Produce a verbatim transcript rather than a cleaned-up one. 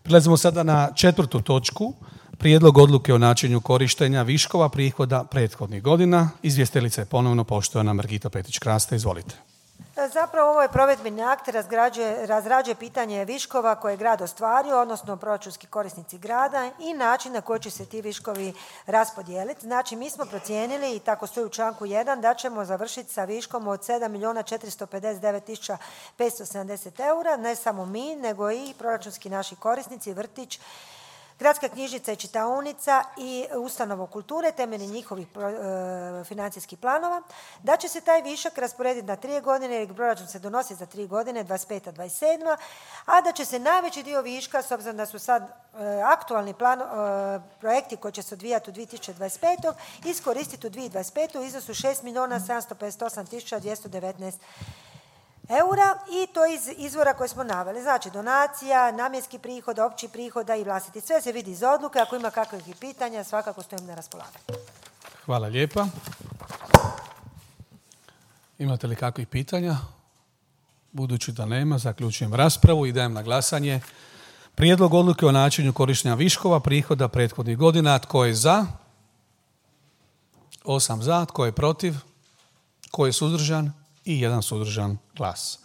Prelazimo sada na četvrtu točku. Prijedlog odluke o načinu korištenja viškova prihoda prethodnih godina. Izvjestiteljica je ponovno poštovana Margita Petrić-Krasta. Izvolite. Zapravo ovo je provedbeni akt, razgrađuje, razrađuje pitanje viškova koje je grad ostvario, odnosno proračunski korisnici grada i način na koji će se ti viškovi raspodijeliti. Znači, mi smo procijenili, i tako stoji u članku jedan, da ćemo završiti sa viškom od sedam milijuna četiristo pedeset devet tisuća petsto sedamdeset eura, ne samo mi, nego i proračunski naši korisnici, vrtić, gradska knjižnica i čitaonica i ustanova kulture temeljem njihovih e, financijskih planova, da će se taj višak rasporediti na tri godine jer proračun se donosi za tri godine, dvadeset peta dvadeset sedma, a da će se najveći dio viška, s obzirom da su sad e, aktualni plan, e, projekti koji će se odvijati u dvije tisuće dvadeset petoj iskoristiti u dvije tisuće dvadeset petoj u iznosu šest milijuna sedamsto pedeset osam tisuća dvjesto devetnaest eura i to iz izvora koje smo naveli. Znači donacija, namjenski prihod, opći prihoda i vlastiti. Sve se vidi iz odluke. Ako ima kakvih pitanja, svakako stojim na raspolaganju. Hvala lijepa. Imate li kakvih pitanja? Budući da nema, zaključujem raspravu i dajem na glasanje prijedlog odluke o načinu korištenja viškova prihoda prethodnih godina. Tko je za? Osam za. Tko je protiv? Tko je suzdržan? I jedan suzdržan glas.